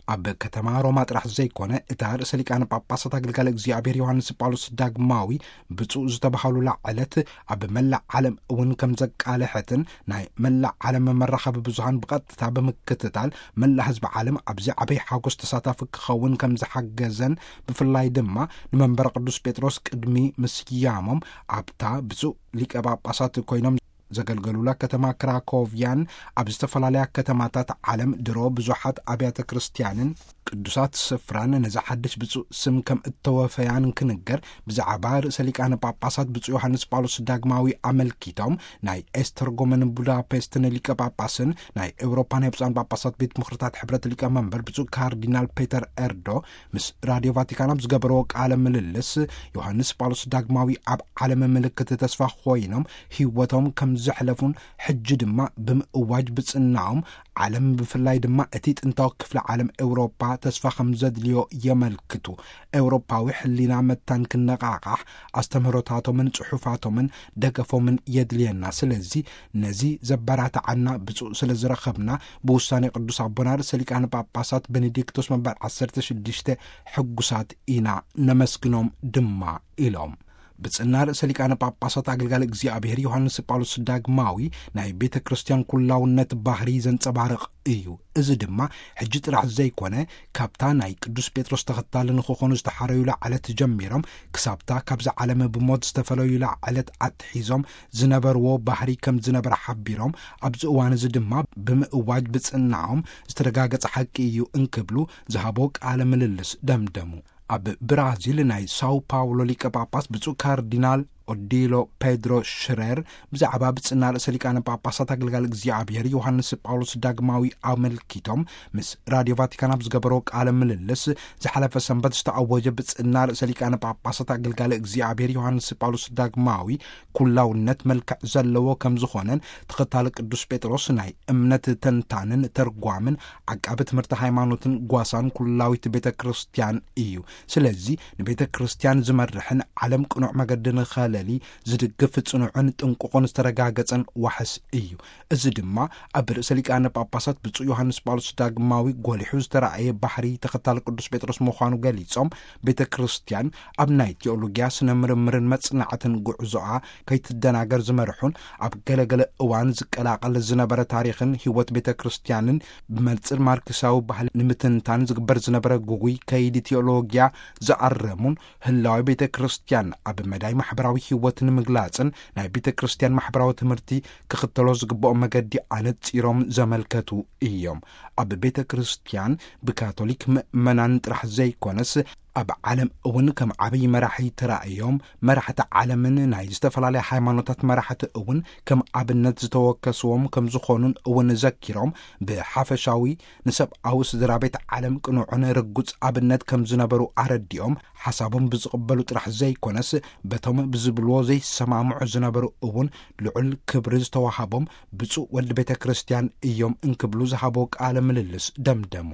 ኣብ ከተማ ሮማ ጥራሕ ዘይኮነ፣ እታ ርእሰ ሊቃነ ጳጳሳት ኣገልጋሊ እግዚኣብሔር ዮሃንስ ጳውሎስ ዳግማዊ ብፁዕ ዝተባህሉላ ዕለት ኣብ መላእ ዓለም እውን ከም ዘቃልሐትን፣ ናይ መላእ ዓለም መራኸቢ ብዙሃን ብቐጥታ ብምክትታል መላእ ህዝቢ ዓለም ኣብዚ ዓበይ ሓጎስ ተሳታፊ ክኸውን ከም ዝሓገዘን፣ ብፍላይ ድማ ንመንበረ ቅዱስ ጴጥሮስ ቅድሚ ምስያሞም ኣብታ ብፁዕ ሊቀ ጳጳሳት ኮይኖም ዘገልገሉላ ከተማ ክራኮቭያን ኣብ ዝተፈላለያ ከተማታት ዓለም ድሮ ብዙሓት ኣብያተ ክርስቲያንን ቅዱሳት ስፍራን ነዚ ሓድሽ ብፁዕ ስም ከም እተወፈያን ክንገር፣ ብዛዕባ ርእሰ ሊቃነ ጳጳሳት ብፁዕ ዮሃንስ ጳውሎስ ዳግማዊ ኣመልኪቶም ናይ ኤስተርጎምን ቡዳፔስትን ሊቀ ጳጳስን ናይ ኤውሮፓ ናይ ብፁዓን ጳጳሳት ቤት ምኽርታት ሕብረት ሊቀ መንበር ብፁዕ ካርዲናል ፔተር ኤርዶ ምስ ራድዮ ቫቲካን ኣብ ዝገበረዎ ቃለ ምልልስ፣ ዮሃንስ ጳውሎስ ዳግማዊ ኣብ ዓለም ምልክት ተስፋ ኮይኖም ህይወቶም ከም ዘሕለፉን፣ ሕጂ ድማ ብምእዋጅ ብጽናኦም ዓለም፣ ብፍላይ ድማ እቲ ጥንታዊ ክፍሊ ዓለም ኤውሮፓ ተስፋ ከም ዘድልዮ የመልክቱ። ኤውሮፓዊ ሕሊና መታን ክነቓቓሕ ኣስተምህሮታቶምን ጽሑፋቶምን ደገፎምን የድልየና። ስለዚ ነዚ ዘበራትዓና ብፁዕ ስለ ዝረኸብና፣ ብውሳኔ ቅዱስ ኣቦና ርእሰ ሊቃነ ጳጳሳት ቤኔዲክቶስ መበል ዓሰርተ ሽዱሽተ ሕጉሳት ኢና፣ ነመስግኖም ድማ ኢሎም። ብጽና ርእሰ ሊቃነ ጳጳሳት ኣገልጋሊ እግዚኣብሔር ዮሃንስ ጳውሎስ ዳግማዊ ናይ ቤተ ክርስቲያን ኩላውነት ባህሪ ዘንጸባርቕ እዩ። እዚ ድማ ሕጂ ጥራሕ ዘይኮነ፣ ካብታ ናይ ቅዱስ ጴጥሮስ ተኸታሊ ንኽኾኑ ዝተሓረዩላ ዕለት ጀሚሮም ክሳብታ ካብዛ ዓለም ብሞት ዝተፈለዩላ ዕለት ኣትሒዞም ዝነበርዎ ባህሪ ከም ዝነበረ ሓቢሮም፣ ኣብዚ እዋን እዚ ድማ ብምእዋጅ ብጽናኦም ዝተረጋገጸ ሓቂ እዩ እንክብሉ ዝሃቦ ቃለ ምልልስ ደምደሙ። ኣብ ብራዚል ናይ ሳው ፓውሎ ሊቀ ጳጳስ ብፁዕ ካርዲናል ኦዲሎ ፔድሮ ሽረር ብዛዕባ ብጽና ርእሰ ሊቃነ ጳጳሳት ኣገልጋሊ እግዚኣብሔር ዮሃንስ ጳውሎስ ዳግማዊ ኣመልኪቶም ምስ ራድዮ ቫቲካን ኣብ ዝገበሮ ቃለ ምልልስ፣ ዝሓለፈ ሰንበት ዝተኣወጀ ብጽና ርእሰ ሊቃነ ጳጳሳት ኣገልጋሊ እግዚኣብሔር ዮሃንስ ጳውሎስ ዳግማዊ ኩላውነት መልክዕ ዘለዎ ከም ዝኾነን፣ ተኸታሊ ቅዱስ ጴጥሮስ ናይ እምነት ተንታንን ተርጓምን ዓቃቢ ትምህርቲ ሃይማኖትን ጓሳን ኩላዊት ቤተ ክርስቲያን እዩ። ስለዚ ንቤተ ክርስቲያን ዝመርሕን ዓለም ቅኑዕ መገዲ ንኸለሊ ዝድግፍ ጽኑዕን ጥንቁቕን ዝተረጋገጸን ዋሕስ እዩ። እዚ ድማ ኣብ ርእሰ ሊቃነ ጳጳሳት ብፁዕ ዮሃንስ ጳውሎስ ዳግማዊ ጎሊሑ ዝተራእየ ባህሪ ተኸታሊ ቅዱስ ጴጥሮስ ምዃኑ ገሊጾም፣ ቤተ ክርስቲያን ኣብ ናይ ቴኦሎጊያ ስነ ምርምርን መጽናዕትን ጉዕዞኣ ከይትደናገር ዝመርሑን፣ ኣብ ገለገለ እዋን ዝቀላቐል ዝነበረ ታሪኽን ህይወት ቤተ ክርስቲያንን ብመንጽር ማርክሳዊ ባህሊ ንምትንታን ዝግበር ዝነበረ ጉጉይ ከይዲ ቴኦሎጊያ ዝኣረሙን፣ ህላዊ ቤተ ክርስቲያን ኣብ መዳይ ማሕበራዊ ህይወት ንምግላጽን ናይ ቤተ ክርስቲያን ማሕበራዊ ትምህርቲ ክኽተሎ ዝግብኦ መገዲ ኣነጺሮም ዘመልከቱ እዮም። ኣብ ቤተ ክርስቲያን ብካቶሊክ ምእመናን ጥራሕ ዘይኮነስ፣ ኣብ ዓለም እውን ከም ዓብዪ መራሒ ተራእዮም፣ መራሕቲ ዓለምን ናይ ዝተፈላለያ ሃይማኖታት መራሕቲ እውን ከም ኣብነት ዝተወከስዎም ከም ዝኾኑን እውን ዘኪሮም፣ ብሓፈሻዊ ንሰብኣዊ ስድራ ቤት ዓለም ቅኑዕን ርጉጽ ኣብነት ከም ዝነበሩ ኣረዲኦም፣ ሓሳቦም ብዝቕበሉ ጥራሕ ዘይኮነስ፣ በቶም ብዝብልዎ ዘይሰማምዑ ዝነበሩ እውን ልዑል ክብሪ ዝተዋሃቦም ብፁዕ ወዲ ቤተ ክርስቲያን እዮም እንክብሉ ዝሃቦ ቃለ ምልልስ ደምደሙ።